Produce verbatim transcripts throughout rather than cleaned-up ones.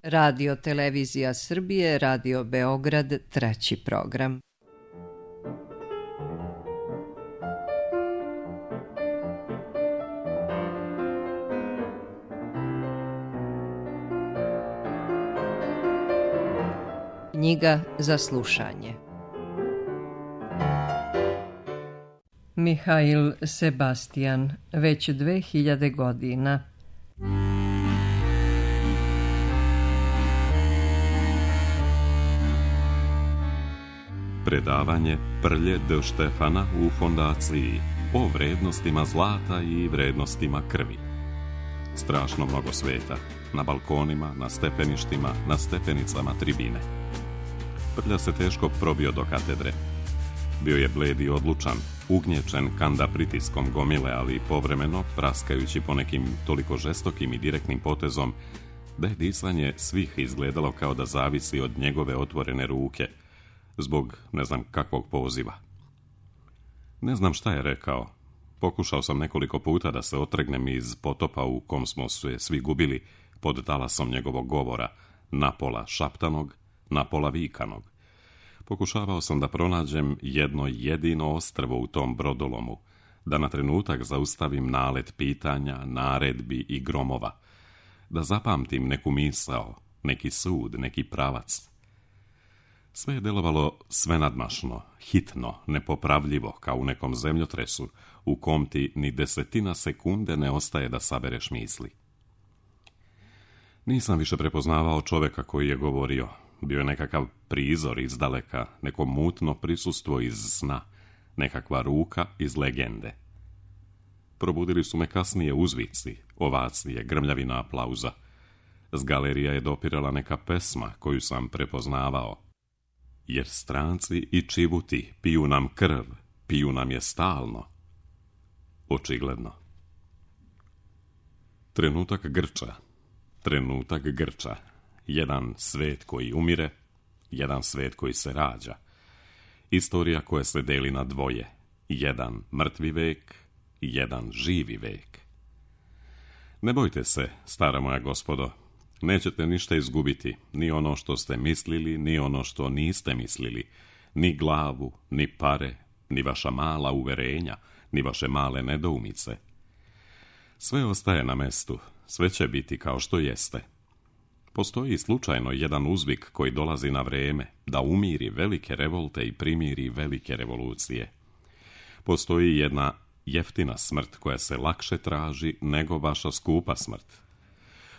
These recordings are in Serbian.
Radio Televizija Srbije, Radio Beograd, treći program. Knjiga za slušanje. Mihail Sebastian, već dve hiljade godina. Predavanje Prlje de Štefana u fondaciji o vrednostima zlata i vrednostima krvi. Strašno mnogo sveta, na balkonima, na stepeništima, na stepenicama tribine. Prlja se teško probio do katedre. Bio je bled i odlučan, ugnječen kanda pritiskom gomile, ali povremeno, praskajući po nekim toliko žestokim i direktnim potezom, da je disanje svih izgledalo kao da zavisi od njegove otvorene ruke, zbog ne znam kakvog poziva. Ne znam šta je rekao. Pokušao sam nekoliko puta da se otrgnem iz potopa u kom smo se svi gubili pod talasom njegovog govora, napola šaptanog, napola vikanog. Pokušavao sam da pronađem jedno jedino ostrvo u tom brodolomu, da na trenutak zaustavim nalet pitanja, naredbi i gromova, da zapamtim neku misao, neki sud, neki pravac. Sve je delovalo svenadmašno, hitno, nepopravljivo, kao u nekom zemljotresu, u kom ti ni desetina sekunde ne ostaje da sabereš misli. Nisam više prepoznavao čoveka koji je govorio. Bio je nekakav prizor iz daleka, neko mutno prisustvo iz sna, nekakva ruka iz legende. Probudili su me kasnije uzvici, ovacije, grmljavina aplauza. S galerija je dopirala neka pesma koju sam prepoznavao. Jer stranci i čibuti piju nam krv, piju nam je stalno. Očigledno. Trenutak grča, trenutak grča. Jedan svet koji umire, jedan svet koji se rađa. Istorija koja se deli na dvoje. Jedan mrtvi vek, jedan živi vek. Ne bojte se, stara moja gospodo. Nećete ništa izgubiti, ni ono što ste mislili, ni ono što niste mislili, ni glavu, ni pare, ni vaša mala uverenja, ni vaše male nedoumice. Sve ostaje na mestu, sve će biti kao što jeste. Postoji slučajno jedan uzvik koji dolazi na vreme, da umiri velike revolte i primiri velike revolucije. Postoji jedna jeftina smrt koja se lakše traži nego vaša skupa smrt.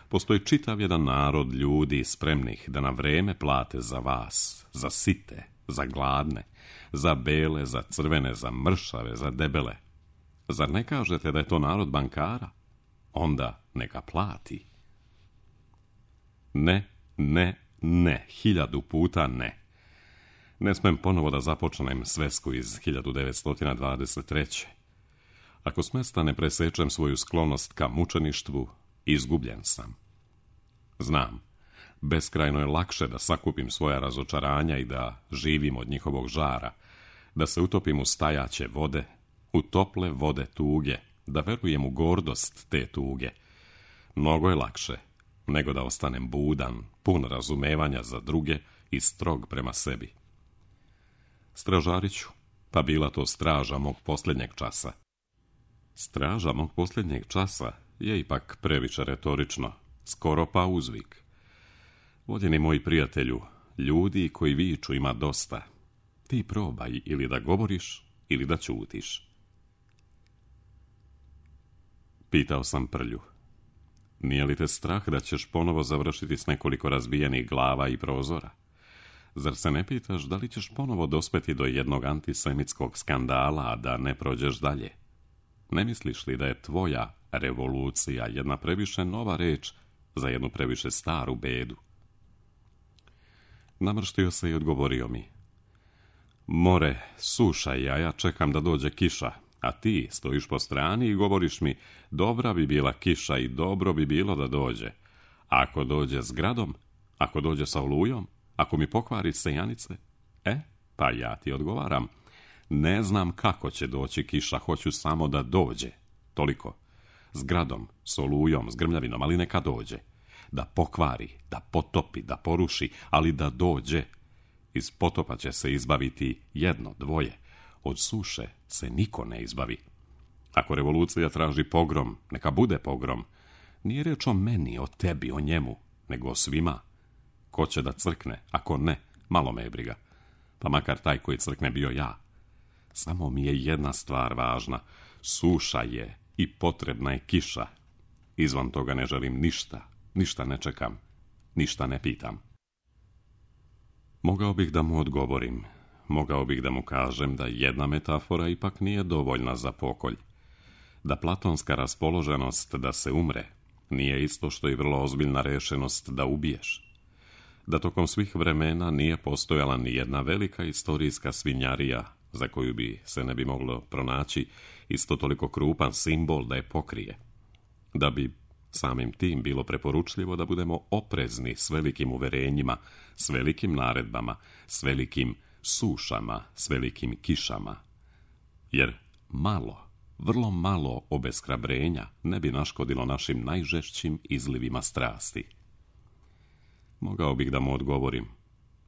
Postoji čitav jedan narod ljudi spremnih da na vreme plate za vas, za site, za gladne, za bele, za crvene, za mršave, za debele. Zar ne kažete da je to narod bankara? Onda neka plati. Ne, ne, ne, hiljadu puta ne. Ne smem ponovo da započnem svesku iz hiljadu devetsto dvadeset treće. Ako s mesta ne presečem svoju sklonost ka mučeništvu, izgubljen sam. Znam, beskrajno je lakše da sakupim svoja razočaranja i da živim od njihovog žara, da se utopim u stajaće vode, u tople vode tuge, da verujem u gordost te tuge. Mnogo je lakše nego da ostanem budan, pun razumevanja za druge i strog prema sebi. Stražariću, pa bila to straža mog posljednjeg časa. Straža mog posljednjeg časa je ipak previše retorično, skoro pa uzvik. Voljeni moji prijatelju, ljudi koji viču ima dosta. Ti probaj ili da govoriš, ili da ćutiš. Pitao sam Prlju. Nije li te strah da ćeš ponovo završiti s nekoliko razbijenih glava i prozora? Zar se ne pitaš da li ćeš ponovo dospeti do jednog antisemitskog skandala, a da ne prođeš dalje? Ne misliš li da je tvoja revolucija jedna previše nova reč za jednu previše staru bedu? Namrštio se i odgovorio mi. More, suša i ja čekam da dođe kiša, a ti stojiš po strani i govoriš mi, dobra bi bila kiša i dobro bi bilo da dođe. Ako dođe s gradom, ako dođe sa olujom, ako mi pokvari sejanice, e, pa ja ti odgovaram, ne znam kako će doći kiša, hoću samo da dođe. Toliko. S gradom, s olujom, s grmljavinom, ali neka dođe. da pokvari, da potopi, da poruši, ali da dođe. Iz potopa će se izbaviti jedno, dvoje. Od suše se niko ne izbavi. Ako revolucija traži pogrom, neka bude pogrom. Nije reč o meni, o tebi, o njemu, nego o svima. Ko će da crkne, ako ne, malo me je briga. Pa makar taj koji crkne bio ja. Samo mi je jedna stvar važna. Suša je i potrebna je kiša. Izvan toga ne želim ništa, ništa ne čekam, ništa ne pitam. Mogao bih da mu odgovorim, mogao bih da mu kažem da jedna metafora ipak nije dovoljna za pokolj. Da platonska raspoloženost da se umre nije isto što i vrlo ozbiljna rešenost da ubiješ. Da tokom svih vremena nije postojala ni jedna velika istorijska svinjarija za koju bi se ne bi moglo pronaći isto toliko krupan simbol da je pokrije. Da bi samim tim bilo preporučljivo da budemo oprezni s velikim uverenjima, s velikim naredbama, s velikim sušama, s velikim kišama. Jer malo, vrlo malo obeshrabrenja ne bi naškodilo našim najžešćim izlivima strasti. Mogao bih da mu odgovorim.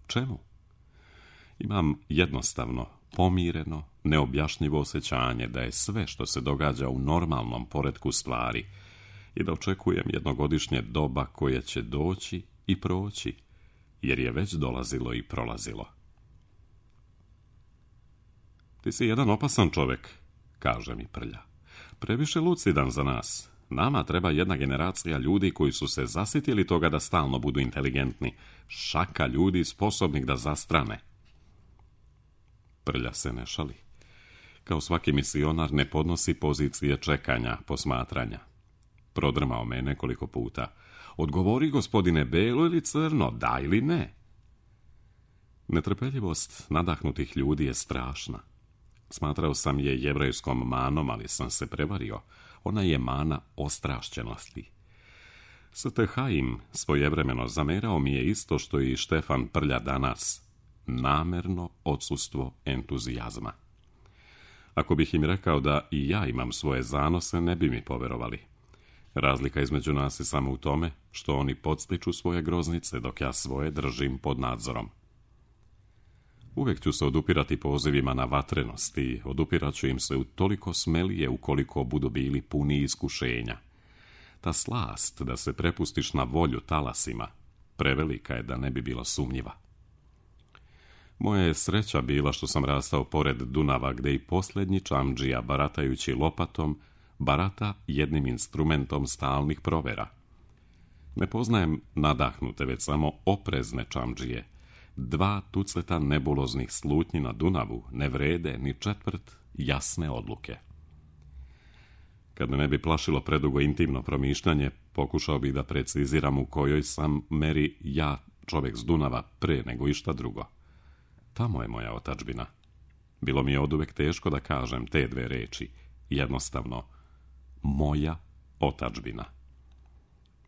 Čemu? Imam jednostavno, pomireno, neobjašnjivo osjećanje da je sve što se događa u normalnom poretku stvari i da očekujem jednogodišnje doba koje će doći i proći, jer je već dolazilo i prolazilo. Ti si jedan opasan čovek, kaže mi Prlja. Previše lucidan za nas. Nama treba jedna generacija ljudi koji su se zasitili toga da stalno budu inteligentni. Šaka ljudi sposobnih da zastrane. Prlja se ne šali. Kao svaki misionar ne podnosi pozicije čekanja, posmatranja. Prodrmao me nekoliko puta. Odgovori, gospodine, belo ili crno, da ili ne? Netrpeljivost nadahnutih ljudi je strašna. Smatrao sam je jevrejskom manom, ali sam se prevario. Ona je mana ostrašćenosti. Sveti Haim svojevremeno zamerao mi je isto što i Štefan Prlja danas. Namerno odsustvo entuzijazma. Ako bih im rekao da i ja imam svoje zanose, ne bi mi poverovali. Razlika između nas je samo u tome što oni podstiču svoje groznice, dok ja svoje držim pod nadzorom. Uvijek ću se odupirati pozivima na vatrenost i odupirat ću im se u toliko smelije ukoliko budu bili puni iskušenja. Ta slast da se prepustiš na volju talasima prevelika je da ne bi bila sumnjiva. Moja je sreća bila što sam rastao pored Dunava, gde i posljednji čamdžija, baratajući lopatom, barata jednim instrumentom stalnih provera. Ne poznajem nadahnute, već samo oprezne čamdžije. Dva tuceta nebuloznih slutnji na Dunavu ne vrede ni četvrt jasne odluke. Kad me ne bi plašilo predugo intimno promišljanje, pokušao bih da preciziram u kojoj sam meri ja, čovjek s Dunava, pre nego išta drugo. Tamo je moja otadžbina. Bilo mi je oduvek teško da kažem te dve reči. Jednostavno, moja otadžbina.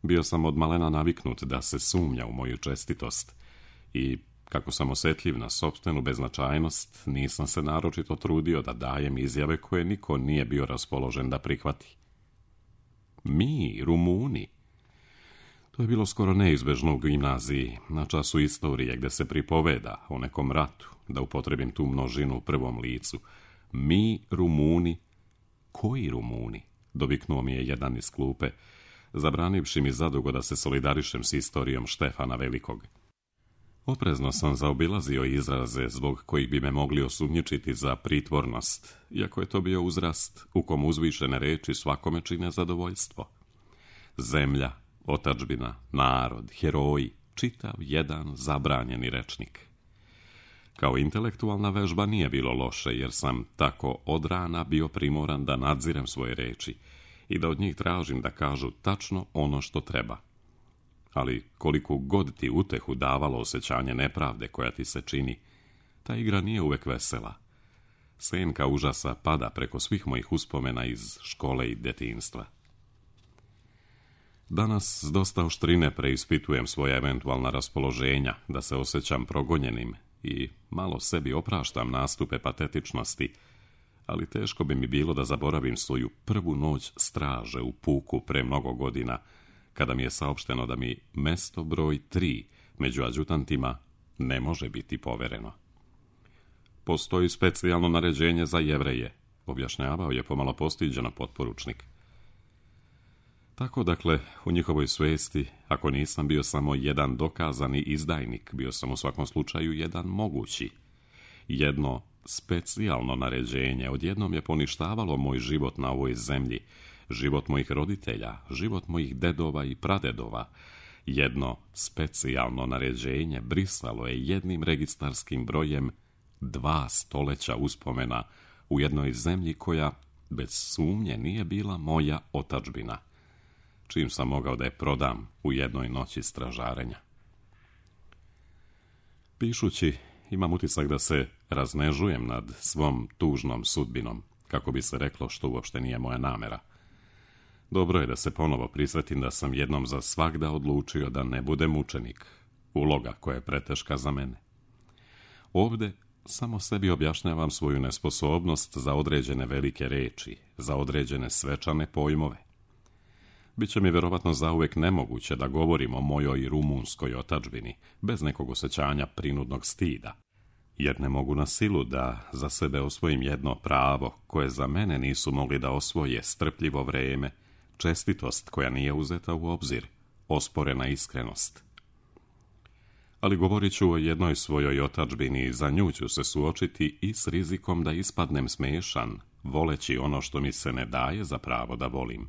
Bio sam od malena naviknut da se sumnja u moju čestitost i, kako sam osjetljiv na sopstvenu beznačajnost, nisam se naročito trudio da dajem izjave koje niko nije bio raspoložen da prihvati. Mi, Rumuni. To je bilo skoro neizbežno u gimnaziji, na času istorije, gde se pripoveda o nekom ratu, da upotrebim tu množinu u prvom licu. Mi, Rumuni. Koji Rumuni? Doviknuo mi je jedan iz klupe, zabranivši mi zadugo da se solidarišem s istorijom Štefana Velikog. Oprezno sam zaobilazio izraze zbog kojih bi me mogli osumnjičiti za pritvornost, iako je to bio uzrast u kom uzvišene reči svakome čine zadovoljstvo. Zemlja, otadžbina, narod, heroji, čitav jedan zabranjeni rečnik. Kao intelektualna vežba nije bilo loše, jer sam tako od rana bio primoran da nadzirem svoje reči i da od njih tražim da kažu tačno ono što treba. Ali koliko god ti utehu davalo osjećanje nepravde koja ti se čini, ta igra nije uvek vesela. Senka užasa pada preko svih mojih uspomena iz škole i detinjstva. Danas s dosta oštrine preispitujem svoje eventualna raspoloženja, da se osjećam progonjenim i malo sebi opraštam nastupe patetičnosti, ali teško bi mi bilo da zaboravim svoju prvu noć straže u puku pre mnogo godina, kada mi je saopšteno da mi mesto broj tri među adjutantima ne može biti povereno. Postoji specijalno naređenje za Jevreje, objašnjavao je pomalo postiđeno potporučnik. Tako, dakle, u njihovoj svesti, ako nisam bio samo jedan dokazani izdajnik, bio sam u svakom slučaju jedan mogući. Jedno specijalno naređenje odjednom je poništavalo moj život na ovoj zemlji, život mojih roditelja, život mojih dedova i pradedova. Jedno specijalno naređenje brisalo je jednim registarskim brojem dva stoleća uspomena u jednoj zemlji koja, bez sumnje, nije bila moja otadžbina, čim sam mogao da je prodam u jednoj noći stražarenja. Pišući, imam utisak da se raznežujem nad svom tužnom sudbinom, kako bi se reklo, što uopšte nije moja namera. Dobro je da se ponovo prisjetim da sam jednom za svagda odlučio da ne budem mučenik, uloga koja je preteška za mene. Ovde samo sebi objašnjavam svoju nesposobnost za određene velike reči, za određene svečane pojmove. Biće mi verovatno zauvek nemoguće da govorim o mojoj rumunskoj otadžbini, bez nekog osjećanja prinudnog stida, jer ne mogu na silu da za sebe osvojim jedno pravo koje za mene nisu mogli da osvoje strpljivo vreme, čestitost koja nije uzeta u obzir, osporena iskrenost. Ali govorit ću o jednoj svojoj otadžbini i za nju ću se suočiti i s rizikom da ispadnem smešan, voleći ono što mi se ne daje za pravo da volim.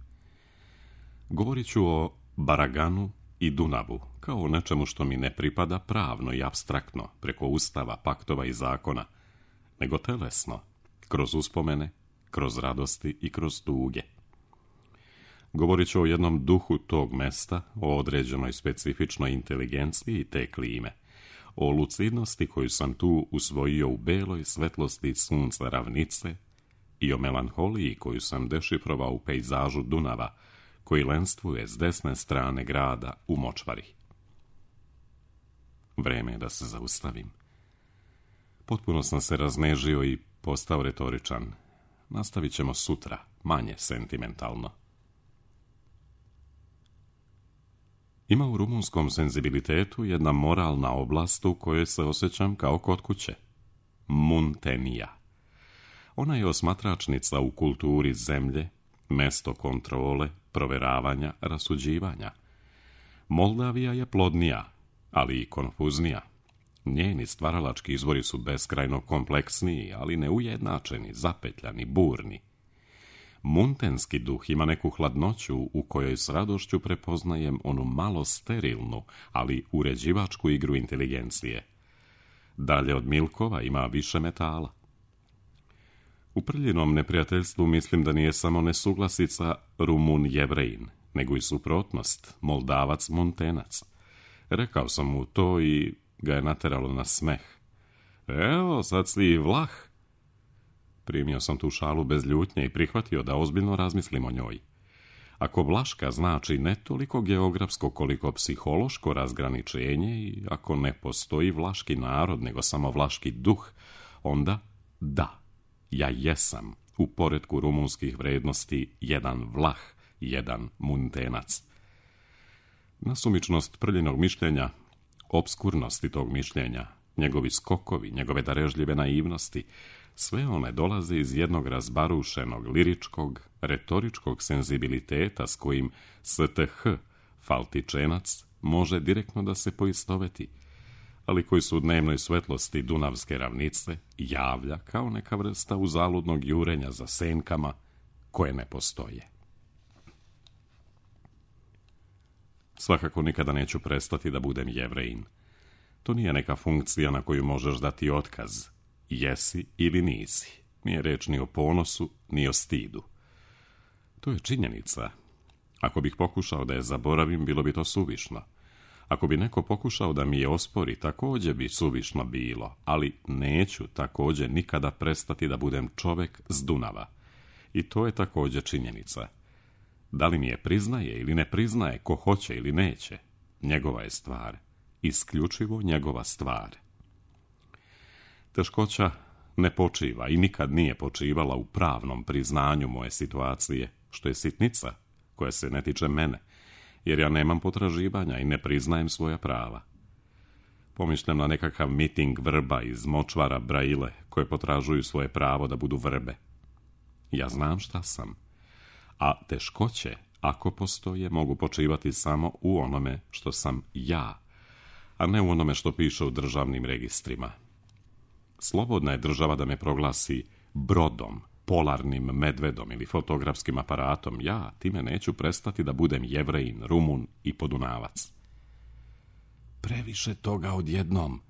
Govorit ću o Baraganu i Dunavu, kao o nečemu što mi ne pripada pravno i apstraktno, preko ustava, paktova i zakona, nego telesno, kroz uspomene, kroz radosti i kroz tuge. Govorit ću o jednom duhu tog mesta, o određenoj specifičnoj inteligenciji te klime, o lucidnosti koju sam tu usvojio u beloj svetlosti sunca ravnice i o melanholiji koju sam dešifrovao u pejzažu Dunava, koji lenstvuje s desne strane grada u močvari. Vreme je da se zaustavim. Potpuno sam se raznežio i postao retoričan. Nastavit ćemo sutra, manje sentimentalno. Ima u rumunskom senzibilitetu jedna moralna oblast u kojoj se osjećam kao kod kuće. Muntenija. Ona je osmatračnica u kulturi zemlje, mesto kontrole, proveravanja, rasuđivanja. Moldavija je plodnija, ali i konfuznija. Njeni stvaralački izvori su beskrajno kompleksniji, ali neujednačeni, zapetljani, burni. Muntenski duh ima neku hladnoću u kojoj s radošću prepoznajem onu malo sterilnu, ali uređivačku igru inteligencije. Dalje od Milkova ima više metala. U Prljinom neprijateljstvu mislim da nije samo nesuglasica Rumun-Jevrejin, nego i suprotnost Moldavac-Muntenac. Rekao sam mu to i ga je nateralo na smeh. Evo, sad si i Vlah. Primio sam tu šalu bez ljutnje i prihvatio da ozbiljno razmislim o njoj. Ako Vlaška znači ne toliko geografsko koliko psihološko razgraničenje i ako ne postoji vlaški narod nego samo vlaški duh, onda da, ja jesam u poretku rumunskih vrednosti jedan Vlah, jedan Muntenac. Nasumičnost Prljinog mišljenja, obskurnosti tog mišljenja, njegovi skokovi, njegove darežljive naivnosti, sve one dolaze iz jednog razbarušenog, liričkog, retoričkog senzibiliteta s kojim S T H, Faltičenac, može direktno da se poistoveti, ali koji su u dnevnoj svetlosti Dunavske ravnice javlja kao neka vrsta uzaludnog jurenja za senkama koje ne postoje. Svakako nikada neću prestati da budem Jevrejin. To nije neka funkcija na koju možeš dati otkaz. Jesi ili nisi. Nije reč ni o ponosu, ni o stidu. To je činjenica. Ako bih pokušao da je zaboravim, bilo bi to suvišno. Ako bi neko pokušao da mi je ospori, također bi suvišno bilo, ali neću također nikada prestati da budem čovek s Dunava. I to je također činjenica. Da li mi je priznaje ili ne priznaje, ko hoće ili neće, njegova je stvar. Isključivo njegova stvar. Teškoća ne počiva i nikad nije počivala u pravnom priznanju moje situacije, što je sitnica koja se ne tiče mene, jer ja nemam potraživanja i ne priznajem svoja prava. Pomišljam na nekakav miting vrba iz močvara Braile koje potražuju svoje pravo da budu vrbe. Ja znam šta sam, a teškoće, ako postoje, mogu počivati samo u onome što sam ja, a ne u onome što piše u državnim registrima. Slobodna je država da me proglasi brodom, polarnim medvedom ili fotografskim aparatom. Ja time neću prestati da budem Jevrejin, Rumun i Podunavac. Previše toga odjednom,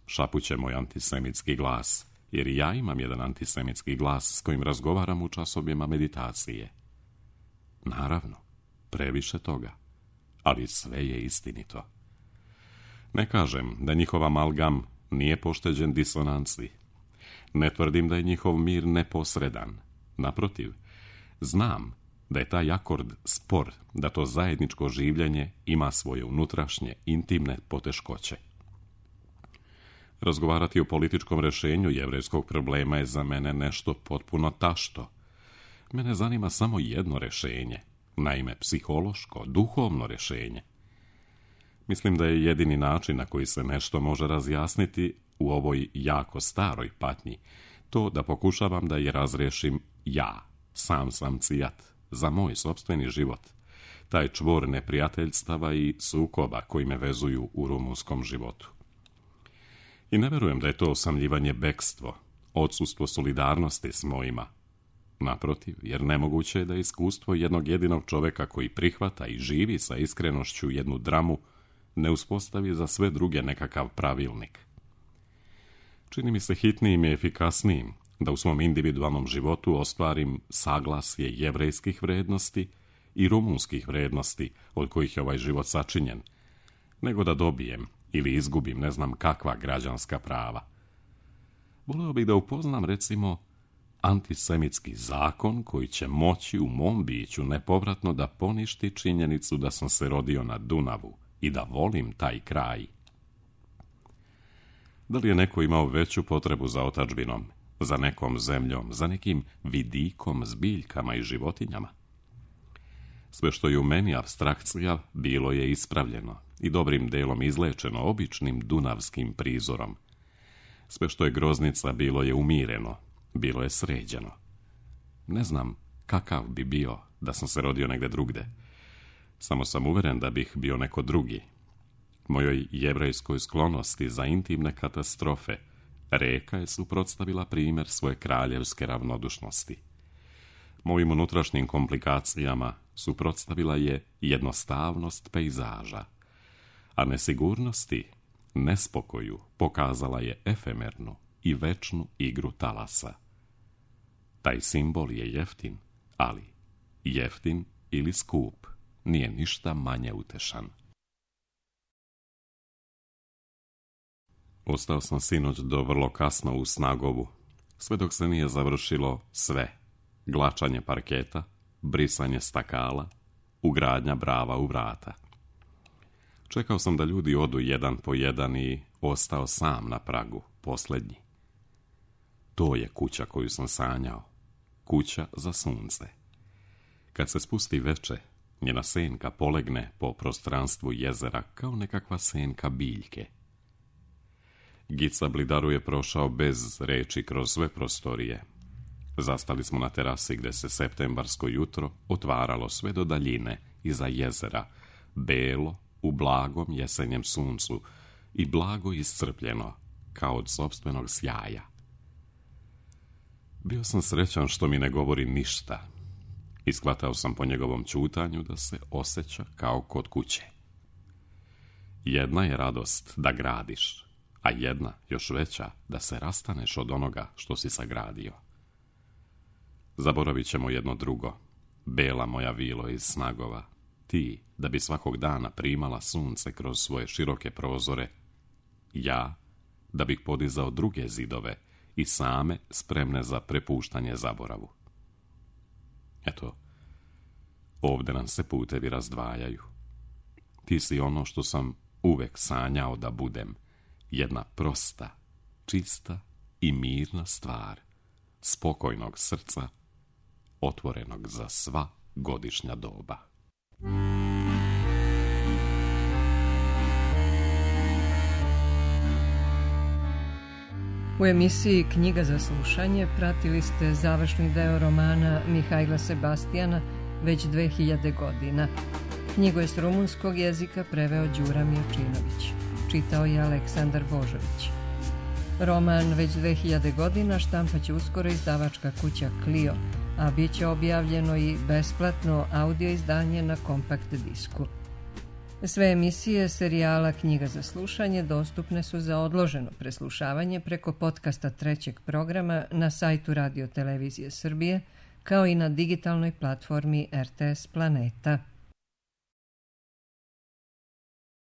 šapuće moj antisemitski glas, jer i ja imam jedan antisemitski glas s kojim razgovaram u časovima meditacije. Naravno, previše toga, ali sve je istinito. Ne kažem da njihov amalgam nije pošteđen disonanci. Ne tvrdim da je njihov mir neposredan. Naprotiv, znam da je taj akord spor, da to zajedničko življenje ima svoje unutrašnje, intimne poteškoće. Razgovarati o političkom rješenju jevrejskog problema je za mene nešto potpuno tašto. Mene zanima samo jedno rješenje, naime psihološko, duhovno rješenje. Mislim da je jedini način na koji se nešto može razjasniti u ovoj jako staroj patnji to da pokušavam da je razriješim ja, sam sam cijat, za moj sopstveni život, taj čvor neprijateljstava i sukoba koji me vezuju u rumunskom životu. I ne verujem da je to osamljivanje bekstvo, odsustvo solidarnosti s mojima. Naprotiv, jer nemoguće je da iskustvo jednog jedinog čovjeka koji prihvata i živi sa iskrenošću jednu dramu ne uspostavi za sve druge nekakav pravilnik. Čini mi se hitnijim i efikasnijim da u svom individualnom životu ostvarim saglasje jevrejskih vrednosti i rumunskih vrednosti od kojih je ovaj život sačinjen, nego da dobijem ili izgubim ne znam kakva građanska prava. Voleo bih da upoznam, recimo, antisemitski zakon koji će moći u mom biću nepovratno da poništi činjenicu da sam se rodio na Dunavu i da volim taj kraj. Da li je neko imao veću potrebu za otadžbinom, za nekom zemljom, za nekim vidikom s biljkama i životinjama? Sve što je u meni apstrakcija bilo je ispravljeno i dobrim delom izlečeno običnim dunavskim prizorom. Sve što je groznica bilo je umireno, bilo je sređeno. Ne znam kakav bi bio da sam se rodio negde drugde. Samo sam uveren da bih bio neko drugi. Mojoj jevrejskoj sklonosti za intimne katastrofe reka je suprotstavila primjer svoje kraljevske ravnodušnosti. Mojim unutrašnjim komplikacijama suprotstavila je jednostavnost pejzaža, a nesigurnosti, nespokoju pokazala je efemernu i večnu igru talasa. Taj simbol je jeftin, ali jeftin ili skup nije ništa manje utešan. Ostao sam sinoć do vrlo kasno u Snagovu, sve dok se nije završilo sve. Glačanje parketa, brisanje stakala, ugradnja brava u vrata. Čekao sam da ljudi odu jedan po jedan i ostao sam na pragu, posljednji. To je kuća koju sam sanjao, kuća za sunce. Kad se spusti veče, njena senka polegne po prostranstvu jezera kao nekakva senka biljke. Gica Blidaru je prošao bez reči kroz sve prostorije. Zastali smo na terasi gde se septembarsko jutro otvaralo sve do daljine iza jezera, belo u blagom jesenjem suncu i blago iscrpljeno kao od sopstvenog sjaja. Bio sam srećan što mi ne govori ništa. Iskvatao sam po njegovom ćutanju da se osjeća kao kod kuće. Jedna je radost da gradiš, a jedna, još veća, da se rastaneš od onoga što si sagradio. Zaboravit ćemo jedno drugo. Bela moja vilo iz Snagova, ti, da bi svakog dana primala sunce kroz svoje široke prozore, ja, da bih podizao druge zidove i same spremne za prepuštanje zaboravu. Eto, ovdje nam se putevi razdvajaju. Ti si ono što sam uvek sanjao da budem, jedna prosta, čista i mirna stvar, spokojnog srca, otvorenog za sva godišnja doba. U emisiji Knjiga za slušanje pratili ste završni deo romana Mihajla Sebastijana već dve hiljade godina. Knjigu je s rumunskog jezika preveo Đura Miočinović. Čitao je Aleksandar Božović. Roman već dve hiljade godina štampaće uskoro izdavačka kuća Clio, a bit će objavljeno i besplatno audio izdanje na kompakt disku. Sve emisije serijala Knjiga za slušanje dostupne su za odloženo preslušavanje preko podcasta trećeg programa na sajtu Radio Televizije Srbije, kao i na digitalnoj platformi R T S Planeta.